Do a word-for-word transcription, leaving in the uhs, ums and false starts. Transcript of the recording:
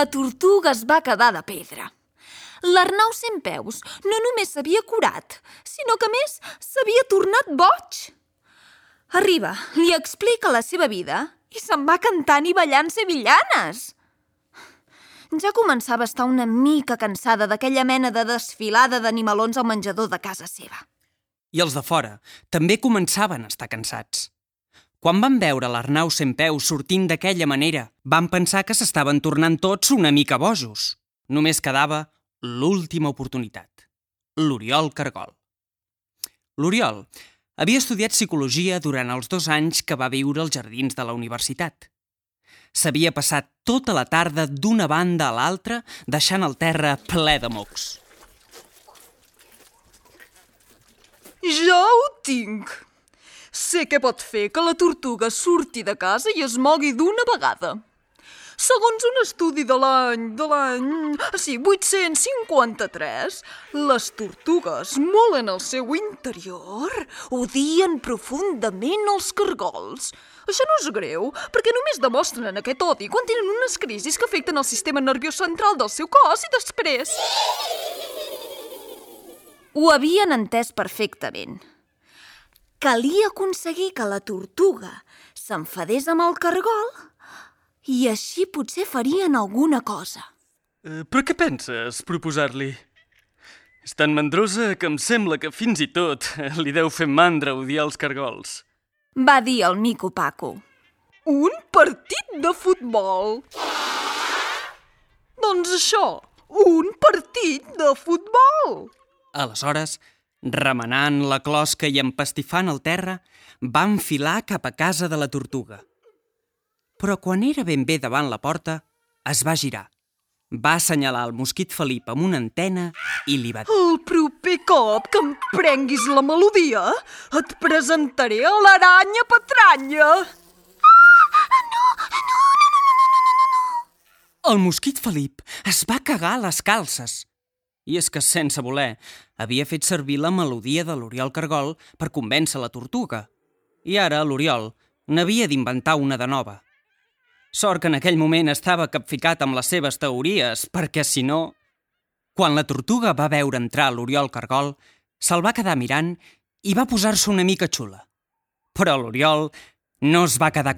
La tortuga es va quedar de pedra. L'Arnau Centpeus no només s'havia curat, sinó que a més s'havia tornat boig. Arriba, li explica la seva vida i se'n va cantant i ballant sevillanes. Ja començava a estar una mica cansada d'aquella mena de desfilada d'animalons al menjador de casa seva. I els de fora també començaven a estar cansats. Quan van veure l'Arnau Centpeus sortint d'aquella manera, van pensar que s'estaven tornant tots una mica bojos. Només quedava l'última oportunitat, l'Oriol Cargol. L'Oriol havia estudiat psicologia durant els dos anys que va viure als jardins de la universitat. S'havia passat tota la tarda d'una banda a l'altra deixant el terra ple de mocs. Ja ho tinc! Sé què pot fer que la tortuga surti de casa i es mogui d'una vegada. Segons un estudi de l'any... de l'any... sí, vuit-cents cinquanta-tres, les tortugues, molt en el seu interior, odien profundament els cargols. Això no és greu, perquè només demostren aquest odi quan tenen unes crisis que afecten el sistema nerviós central del seu cos i després... Ho havien entès perfectament. Calia aconseguir que la tortuga s'enfadés amb el cargol i així potser farien alguna cosa. Uh, però què penses proposar-li? És tan mandrosa que em sembla que fins i tot li deu fer mandra odiar els cargols. Va dir el mico Paco. Un partit de futbol! Doncs això, un partit de futbol! Aleshores, remenant la closca i empastifant el terra, va enfilar cap a casa de la tortuga. Però quan era ben bé davant la porta, es va girar. Va assenyalar el mosquit Felip amb una antena i li va dir: El proper cop que em prenguis la melodia, et presentaré a l'aranya patranya! El mosquit Felip es va cagar a les calces. I és que, sense voler, havia fet servir la melodia de l'Oriol Cargol per convèncer la tortuga. I ara l'Oriol n'havia d'inventar una de nova. Sort que en aquell moment estava capficat amb les seves teories, perquè si no... Quan la tortuga va veure entrar l'Oriol Cargol, se'l va quedar mirant i va posar-se una mica xula. Però l'Oriol no es va quedar